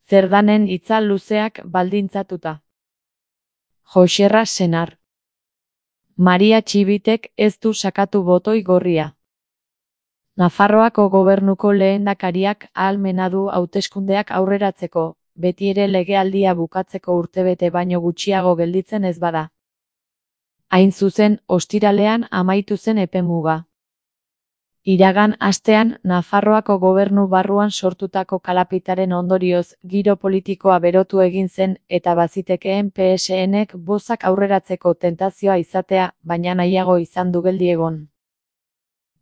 Cerdanen itzal luzeak baldintzatuta. Joxerra senar. Maria Txibitek ez du sakatu botoi gorria. Nafarroako gobernuko lehendakariak ahalmena du hauteskundeak aurreratzeko, beti ere legealdia bukatzeko urtebete baino gutxiago gelditzen ez bada. Hain zuzen, ostiralean amaitu zen epemuga. Iragan astean, Nafarroako gobernu barruan sortutako kalapitaren ondorioz, giro politikoa berotu egin zen eta bazitekeen PSNek bozak aurreratzeko tentazioa izatea, baina nahiago izan du geldi egon.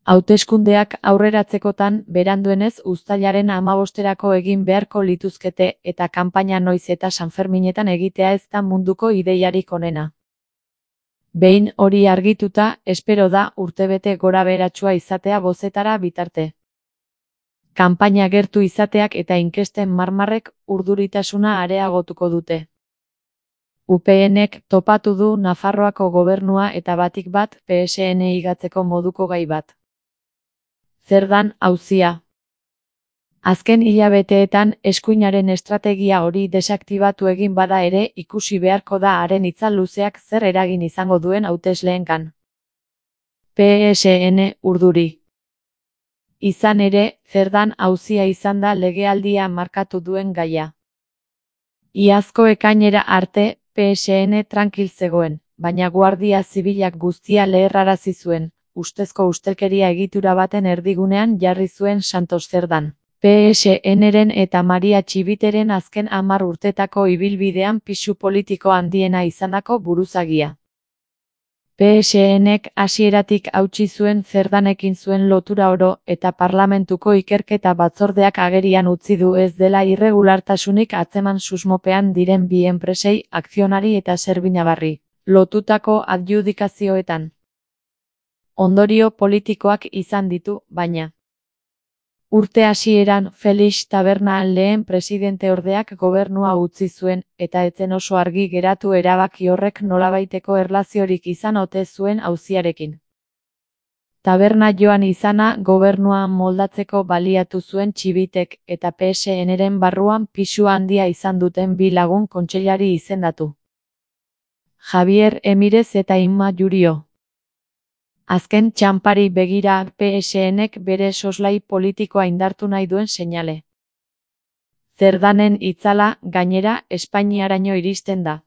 Hauteskundeak aurreratzekotan, beranduenez uztailaren 15erako egin beharko lituzkete eta kanpaina noiz eta Sanferminetan egitea ez da munduko ideiarik onena. Behin hori argituta, espero da urtebete gorabeheratsua izatea bozetara bitarte. Kanpaina gertu izateak eta inkesten marmarrek urduritasuna areagotuko dute. UPNek topatu du Nafarroako gobernua eta batik bat PSN igatzeko moduko gai bat. Cerdan auzia. Azken hilabeteetan eskuinaren estrategia hori desaktibatu egin bada ere ikusi beharko da haren itzal luzeak zer eragin izango duen hautesleengan. PSN urduri. Izan ere, Cerdan auzia izan da legealdia markatu duen gaia. Iazko ekainera arte, PSN trankil zegoen, baina Guardia Zibilak guztia leherrarazi zuen, ustezko ustelkeria egitura baten erdigunean jarri zuen Santos Cerdan. PSNren eta Maria Txibiteren azken 10 urtetako ibilbidean pisu politiko handiena izandako buruzagia. PSNek hasieratik hautsi zuen Cerdanekin zuen lotura oro eta parlamentuko ikerketa batzordeak agerian utzi du ez dela irregulartasunik atzeman susmopean diren bi enpresei akzionari eta zerbinabarri lotutako adjudikazioetan. Ondorio politikoak izan ditu, baina. Urte hasieran Felix Taberna lehen presidenteordeak gobernua utzi zuen, eta ez zen oso argi geratu erabaki horrek nolabaiteko erlaziorik izan ote zuen auziarekin. Taberna joan izana gobernua moldatzeko baliatu zuen Txibitek eta PSNren barruan pisu handia izan duten bi lagun kontseilari izendatu. Javier Emirez eta Inma Jurio. Azken txanpari begira PSNek bere soslai politikoa indartu nahi duen seinale. Cerdanen itzala, gainera, Espainiaraino iristen da.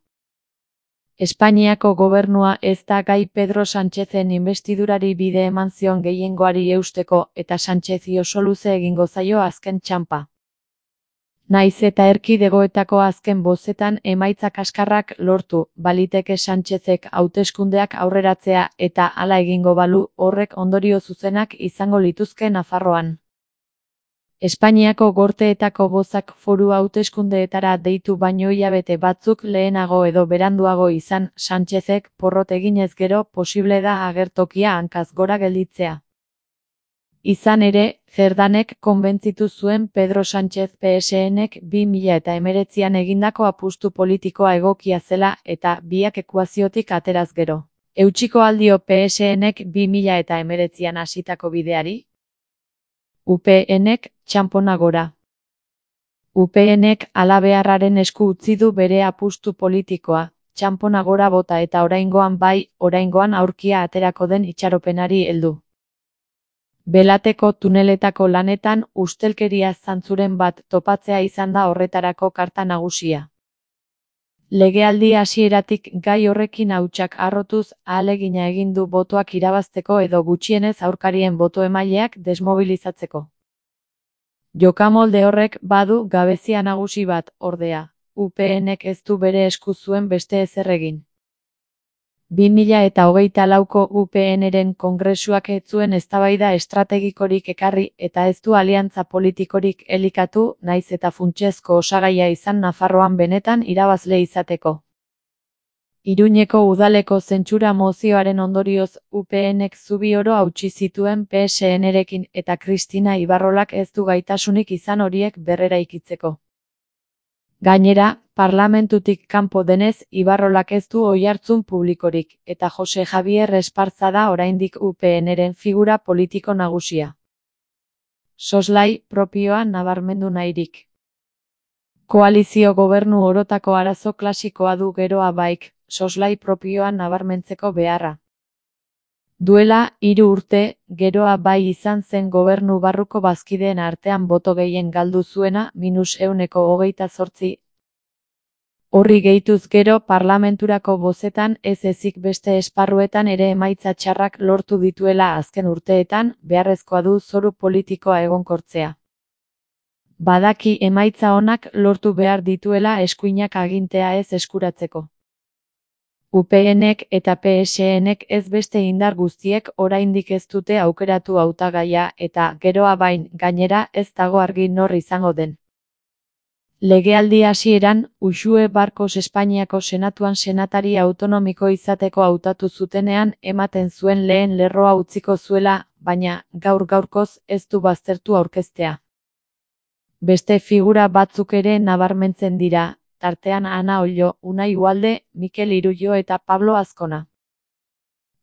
Espainiako gobernua ez da gai Pedro Sánchezen inbestidurari bide eman zion gehiengoari eusteko eta Sánchezi oso luze egingo zaio azken txanpa. Naiz eta erkidegoetako azken bozetan emaitza kaskarrak lortu, baliteke Sánchezek hauteskundeak aurreratzea eta hala egingo balu horrek ondorio zuzenak izango lituzke Nafarroan. Espainiako gorteetako bozak foru hauteskundeetara deitu baino hilabete batzuk lehenago edo beranduago izan Sánchezek porrot eginez gero posible da agertokia hankaz gora gelditzea. Izan ere, Cerdanek konbentzitu zuen Pedro Sánchez PSNek 2019an egindako apustu politikoa egokia zela eta biak ekuaziotik ateraz gero. Eutsiko aldio PSNek 2019an hasitako bideari? UPNek txanpona gora. UPNek halabeharraren esku utzi du bere apustu politikoa, txanpona gora bota eta oraingoan bai, oraingoan aurkia aterako den itxaropenari heldu. Belateko tuneletako lanetan ustelkeria zantzuren bat topatzea izan da horretarako karta nagusia. Legealdi hasieratik gai horrekin hautsak harrotuz ahalegina egin du botoak irabazteko edo gutxienez aurkarien boto-emaileak desmobilizatzeko. Jokamolde horrek badu gabezia nagusi bat, ordea, UPNek ez du bere esku zuen beste ezer egin. 2024ko UPNren kongresuak ez zuen eztabaida estrategikorik ekarri eta ez du aliantza politikorik elikatu, naiz eta funtsezko osagaia izan Nafarroan benetan irabazle izateko. Iruñeko udaleko zentsura mozioaren ondorioz UPNek zubi oro hautsi zituen PSNrekin eta Kristina Ibarrolak ez du gaitasunik izan horiek berreraikitzeko. Gainera, parlamentutik kanpo denez Ibarrolak ez du oihartzun publikorik, eta Jose Javier Esparza da oraindik UPNren figura politiko nagusia. Soslai propioa nabarmendu nahirik. Koalizio gobernu orotako arazo klasikoa du geroa baik, soslai propioan nabarmentzeko beharra. Duela 3 urte, geroa bai izan zen gobernu barruko bazkideen artean boto gehien galdu zuena -28%. Horri gehituz gero parlamenturako bozetan ez ezik beste esparruetan ere emaitza txarrak lortu dituela azken urteetan, beharrezkoa du zoru politikoa egonkortzea. Badaki emaitza onak lortu behar dituela eskuinak agintea ez eskuratzeko. UPNek eta PSNek ez beste indar guztiek oraindik ez dute aukeratu hautagaia eta geroa bain gainera ez dago argi nor izango den. Legealdi hasieran, Uxue Barkos Espainiako Senatuan senatari autonomiko izateko hautatu zutenean ematen zuen lehen lerroa utziko zuela, baina gaur-gaurkoz ez du baztertu aurkeztea. Beste figura batzuk ere nabarmentzen dira, tartean Ana Ollo, Unai Ugalde, Mikel Irullo eta Pablo Azkona.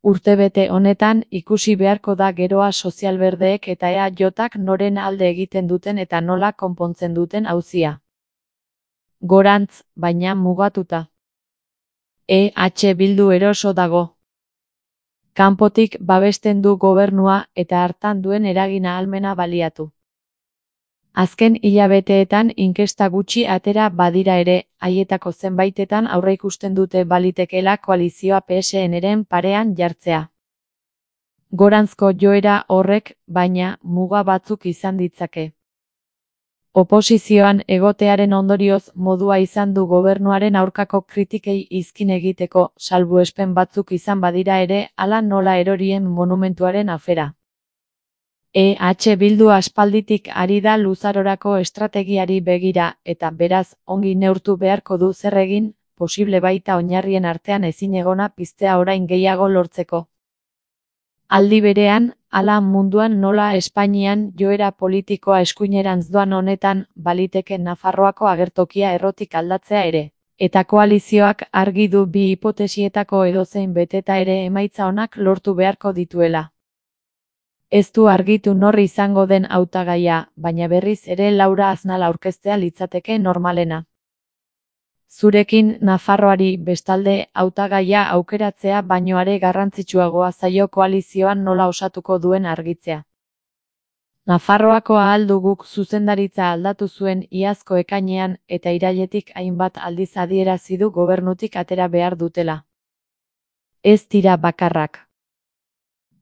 Urtebete honetan ikusi beharko da geroa sozialberdeek eta EAJak noren alde egiten duten eta nola konpontzen duten auzia. Gorantz, baina mugatuta. EH Bildu eroso dago. Kanpotik babesten du gobernua eta hartan duen eragin ahalmena baliatu. Azken hilabeteetan inkesta gutxi atera badira ere, haietako zenbaitetan aurreikusten dute balitekeela koalizioa PSNren parean jartzea. Gorantzko joera horrek, baina, muga batzuk izan ditzake. Oposizioan egotearen ondorioz modua izan du gobernuaren aurkako kritikei izkin egiteko, salbuespen batzuk izan badira ere, hala nola erorien monumentuaren afera. EH Bildu aspalditik ari da luzarorako estrategiari begira eta beraz ongi neurtu beharko du zer egin, posible baita oinarrien artean ezinegona piztea orain gehiago lortzeko. Aldi berean, hala munduan nola Espainian joera politikoa eskuinerantz doan honetan, baliteke Nafarroako agertokia errotik aldatzea ere. Eta koalizioak argi du bi hipotesietako edozein beteta ere emaitza onak lortu beharko dituela. Ez du argitu nor izango den hautagaia, baina berriz ere Laura Aznal aurkeztea litzateke normalena. Zurekin Nafarroari bestalde hautagaia aukeratzea baino are garrantzitsuagoa zaio koalizioan nola osatuko duen argitzea. Nafarroako ahal duguk zuzendaritza aldatu zuen iazko ekainean eta irailetik hainbat aldiz adierazi du gobernutik atera behar dutela. Ez dira bakarrak.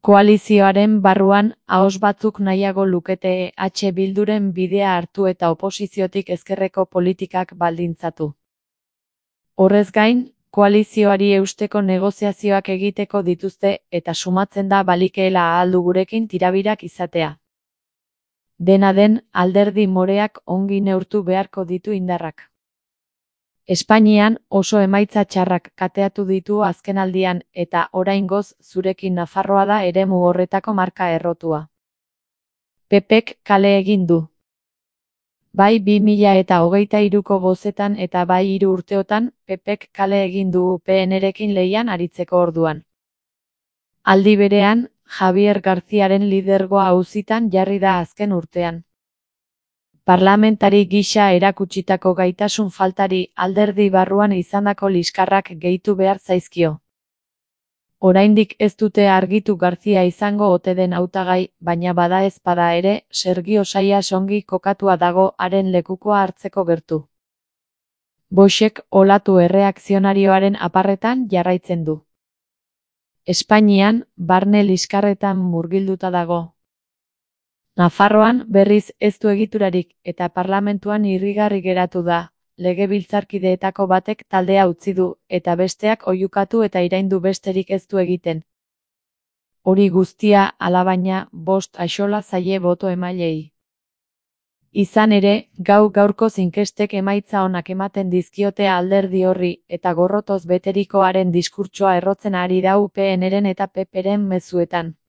Koalizioaren barruan, ahoz batzuk nahiago lukete EH Bilduren bidea hartu eta oposiziotik ezkerreko politikak baldintzatu. Horrez gain, koalizioari eusteko negoziazioak egiteko dituzte eta sumatzen da balikeela ahal du gurekin tirabirak izatea. Dena den, alderdi moreak ongi neurtu beharko ditu indarrak. Espainian oso emaitza txarrak kateatu ditu azkenaldian eta oraingoz zurekin Nafarroa da eremu horretako marka errotua. PPk kale egin du. Bai 2023ko bozetan eta bai 3 urteotan, PPk kale egin du UPNrekin lehian aritzeko orduan. Aldi berean, Javier Garziaren lidergoa auzitan jarri da azken urtean. Parlamentari gisa erakutsitako gaitasun faltari alderdi barruan izandako liskarrak gehitu behar zaizkio. Oraindik ez dute argitu Garzia izango ote den hautagai, baina bada ez bada ere, Sergio Sayas ongi kokatua dago haren lekukoa hartzeko gertu. Boixek olatu erreakzionarioaren aparretan jarraitzen du. Espainian, barne liskarretan murgilduta dago. Nafarroan berriz ez du egiturarik eta parlamentuan irrigarri geratu da, legebiltzarkideetako batek taldea utzi du eta besteak oihukatu eta iraindu besterik ez du egiten. Hori guztia, alabaina, 5 axola zaie boto emailei. Izan ere, gaurkoz inkestek emaitza onak ematen dizkiote alderdi horri eta gorrotoz beterikoaren diskurtsoa errotzen ari da UPNren eta PPren mezuetan.